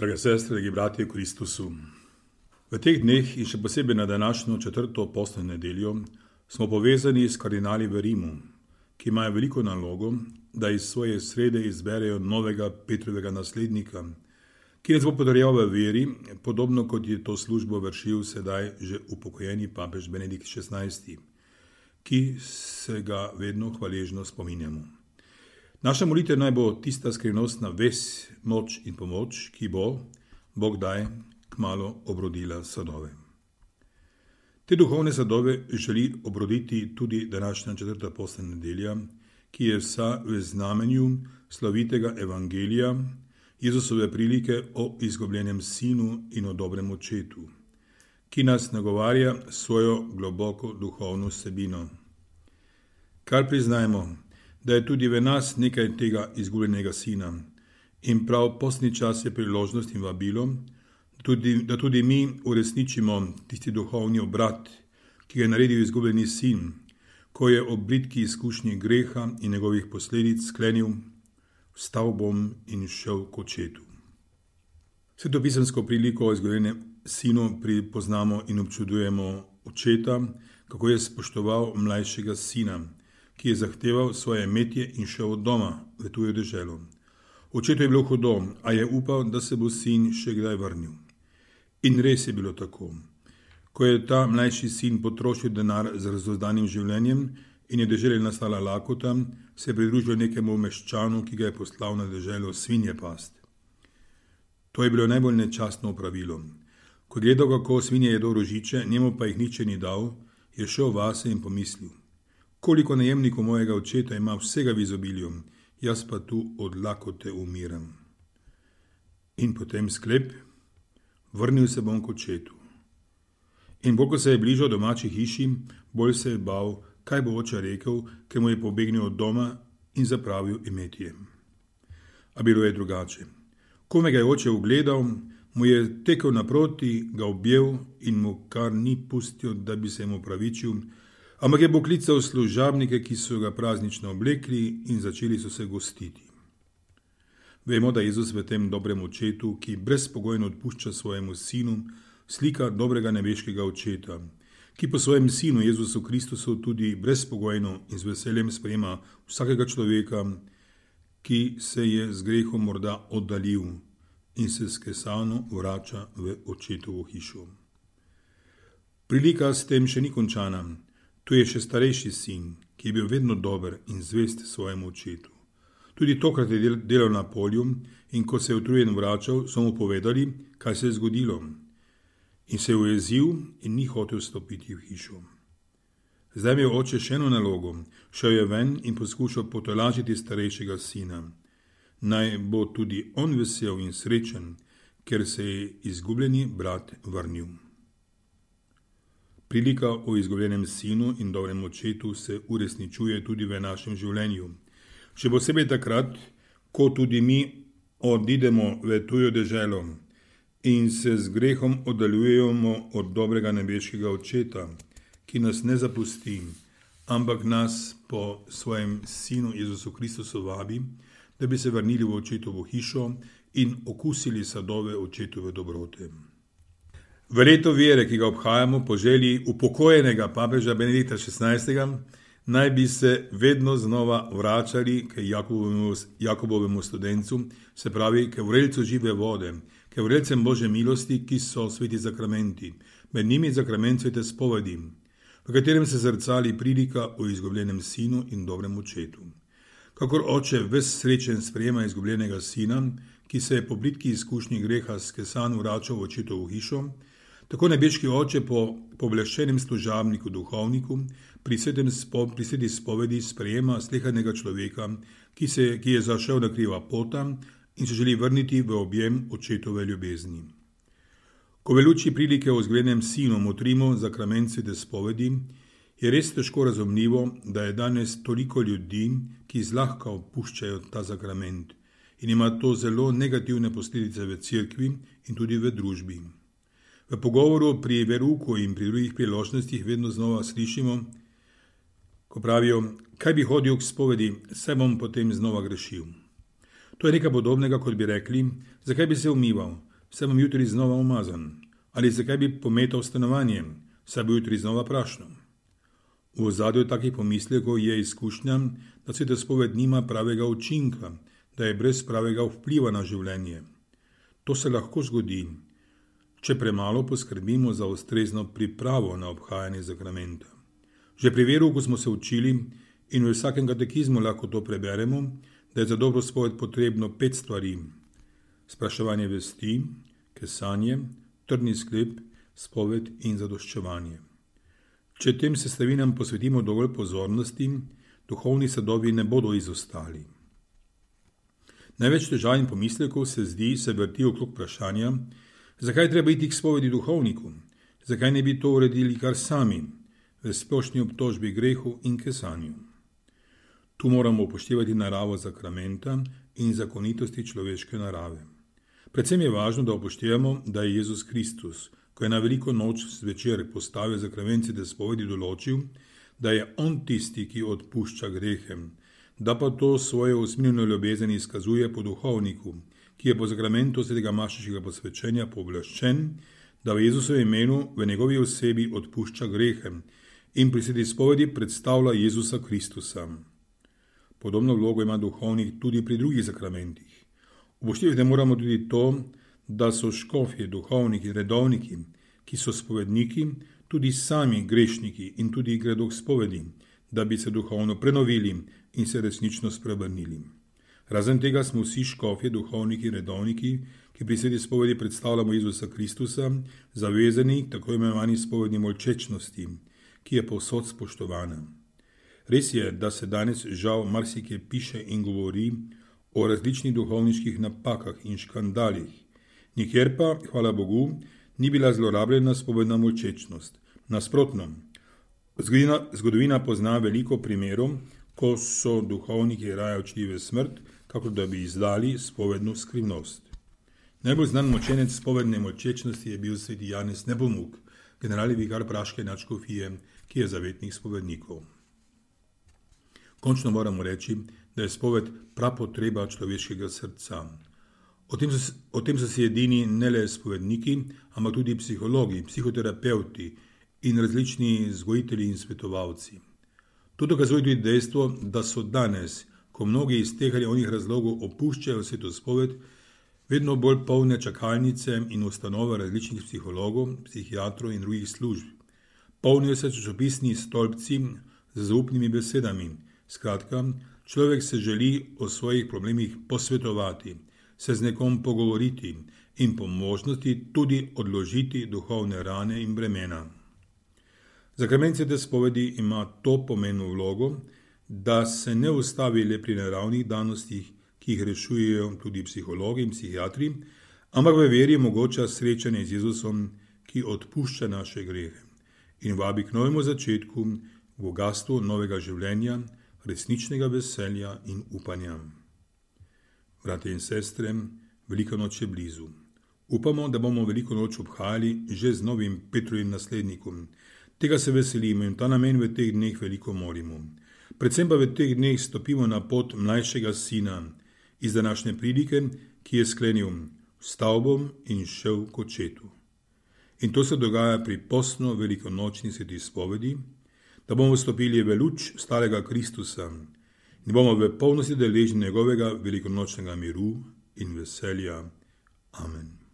Drage sestre, dragi bratje v Kristusu. V teh dneh in še posebej na današnjo 4. postno nedeljo smo povezani s kardinali v Rimu, ki imajo veliko nalogo, da iz svoje srede izberejo novega Petrovega naslednika, ki nas bo podarjal v veri, podobno kot je to službo vršil sedaj že upokojeni papež Benedikt XVI, ki se ga vedno hvaležno spominjamo. Naša molitev naj bo tista skrivnostna vez, moč in pomoč, ki bo, Bog daj, kmalu obrodila sadove. Te duhovne sadove želi obroditi tudi današnja 4. postna nedelja, ki je vsa v znamenju slavitega evangelija, Jezusove prilike o izgubljenem sinu in o dobrem očetu, ki nas nagovarja svojo globoko duhovno vsebino. Kar priznajmo, da je tudi v nas nekaj tega izgubljenega sina in prav postni čas je priložnost in vabilo, da tudi mi uresničimo tisti duhovni obrat, ki ga je naredil izgubljeni sin, ko je ob bridki izkušnji greha in njegovih posledic sklenil: vstal bom in šel k očetu. Svetopisemsko priliko o izgubljenem sinu pripoznamo in občudujemo očeta, kako je spoštoval mlajšega sina, ki je zahteval svoje imetje in šel od doma v tujo deželo. Očetu je bilo hudo, a je upal, da se bo sin še kdaj vrnil. In res je bilo tako. Ko je ta mlajši sin potrošil denar z razuzdanim življenjem in je deželi nastala lakota, se je pridružil nekemu meščanu, ki ga je poslal na deželo svinje past. To je bilo najbolj nečastno opravilo. Ko je gledal, kako svinje jedo rožiče, njemu pa jih nič ni dal, je šel vase in pomislil: koliko najemnikov mojega očeta ima vsega v izobilju, jaz pa tu od lakote umiram. In potem sklep: vrnil se bom k očetu. In bolj ko se je bližal domači hiši, bolj se je bal, kaj bo oče rekel, ker mu je pobegnil od doma in zapravil imetje. A bilo je drugače. Ko me ga je oče ugledal, mu je tekel naproti, ga objel in mu kar ni pustil, da bi se mu opravičil, ampak je poklical služabnike, ki so ga praznično oblekli in začeli so se gostiti. Vemo, da Jezus v tem dobrem očetu, ki brezpogojno odpušča svojemu sinu, slika dobrega nebeškega očeta, ki po svojem sinu Jezusu Kristusu tudi brezpogojno in z veseljem sprejema vsakega človeka, ki se je z grehom morda oddaljil in se skesano vrača v očetovo hišo. Prilika s tem še ni končana. Tu je še starejši sin, ki je bil vedno dober in zvest svojemu očetu. Tudi tokrat je delal na polju in ko se je utrujen vračal, so mu povedali, kaj se je zgodilo. In se je ujezil in ni hotel stopiti v hišo. Zdaj je oče še eno nalogo. Šel je ven in poskušal potolažiti starejšega sina. Naj bo tudi on vesel in srečen, ker se je izgubljeni brat vrnil. Prilika o izgubljenem sinu in dobrem očetu se uresničuje tudi v našem življenju. Še posebej takrat, ko tudi mi odidemo v tujo deželo in se z grehom oddaljujemo od dobrega nebeškega očeta, ki nas ne zapusti, ampak nas po svojem sinu Jezusu Kristusu vabi, da bi se vrnili v očetovo hišo in okusili sadove očetove dobrote. V leto vere, ki ga obhajamo po želji upokojenega papeža Benedikta XVI, naj bi se vedno znova vračali k Jakobovemu studencu, se pravi k vrelcu žive vode, k vrelcem Božje milosti, ki so sveti zakramenti, med njimi zakrament svete spovedi, v katerem se zrcali prilika o izgubljenem sinu in dobrem očetu. Kakor oče ves srečen sprejema izgubljenega sina, ki se je po bridki izkušnji greha skesan vračal v očetovo hišo, tako nebeški oče po pooblaščenem služabniku duhovniku pri sveti spovedi sprejema slehernega človeka, ki je zašel na kriva pota in se želi vrniti v objem očetove ljubezni. Ko v luči prilike o izgubljenem sinu motrimo zakrament svete spovedi, je res težko razumljivo, da je danes toliko ljudi, ki zlahka opuščajo ta zakrament in ima to zelo negativne posledice v cerkvi in tudi v družbi. V pogovoru pri veruku in pri drugih priložnostih vedno znova slišimo, ko pravijo: kaj bi hodil k spovedi, saj bom potem znova grešil. To je nekaj podobnega, kot bi rekli: zakaj bi se umival, saj bom jutri znova umazan, ali zakaj bi pometal stanovanje, saj bo jutri znova prašno. V ozadju takih pomislekov je izkušnja, da sveta spoved nima pravega učinka, da je brez pravega vpliva na življenje. To se lahko zgodi, če premalo poskrbimo za ustrezno pripravo na obhajanje sakramenta. Že pri verouku smo se učili in v vsakem katekizmu lahko to preberemo, da je za dobro spoved potrebno 5 stvari: spraševanje vesti, kesanje, trdni sklep, spoved in zadoščevanje. Če tem sestavinam posvetimo dovolj pozornosti, duhovni sadovi ne bodo izostali. Največ težav in pomislekov se vrti okrog vprašanja, zakaj treba iti k spovedi duhovniku, zakaj ne bi to uredili kar sami, v splošni obtožbi grehu in kesanju. Tu moramo upoštevati naravo sakramenta in zakonitosti človeške narave. Predvsem je važno, da upoštevamo, da je Jezus Kristus, ko je na veliko noč zvečer postavil sakrament svete spovedi, določil, da je on tisti, ki odpušča grehe, da pa to svojo usmiljeno ljubezen izkazuje po duhovniku, ki je po sakramentu svetega mašeškega posvečenja pooblaščen, da v Jezusovem imenu v njegovi osebi odpušča grehe in pri sveti spovedi predstavlja Jezusa Kristusa. Podobno vlogo ima duhovnik tudi pri drugih sakramentih. Upoštevati moramo tudi to, da so škofje, duhovniki, redovniki, ki so spovedniki, tudi sami grešniki in tudi gredo k spovedi, da bi se duhovno prenovili in se resnično spreobrnili. Razen tega smo vsi škofje, duhovniki, redovniki, ki pri sveti spovedi predstavljamo Jezusa Kristusa, zavezani k tako imenovani spovedni molčečnosti, ki je povsod spoštovana. Res je, da se danes žal marsikje piše in govori o različnih duhovniških napakah in škandalih, nikjer pa, hvala Bogu, ni bila zlorabljena spovedna molčečnost. Nasprotno, zgodovina pozna veliko primerov, ko so duhovniki raje odšli v smrt, kako da bi izdali spovedno skrivnost. Najbolj znan močenec spovedne molčečnosti je bil sveti Janez Nepomuk, generalni vikar praške nadškofije, ki je zavetnik spovednikov. Končno moramo reči, da je spoved prapotreba človeškega srca. O tem so si edini ne le spovedniki, ampak tudi psihologi, psihoterapeuti in različni vzgojitelji in svetovalci. To dokazuje tudi dejstvo, da so danes, ko mnogi iz teh ali onih razlogov opuščajo sveto spoved, vedno bolj polne čakalnice in ustanove različnih psihologov, psihiatrov in drugih služb. Polnijo se časopisni stolpci z zaupnimi besedami. Skratka, človek se želi o svojih problemih posvetovati, se z nekom pogovoriti in po možnosti tudi odložiti duhovne rane in bremena. Sakrament svete spovedi ima to pomembno vlogo, da se ne ustavi le pri naravnih danostih, ki jih rešujejo tudi psihologi in psihiatri, ampak v veri omogoča srečanje z Jezusom, ki odpušča naše grehe in vabi k novemu začetku, v bogatstvu novega življenja, resničnega veselja in upanja. Bratje in sestre, velika noč je blizu. Upamo, da bomo veliko noč obhajali že z novim Petrovim naslednikom. Tega se veselimo in ta namen v teh dneh veliko molimo. Predvsem pa v teh dneh stopimo na pot mlajšega sina iz današnje pridike, ki je sklenil: "Vstal bom in šel k očetu." In to se dogaja pri postno velikonočni sveti spovedi, da bomo vstopili v luč starega Kristusa in bomo v polnosti deležni njegovega velikonočnega miru in veselja. Amen.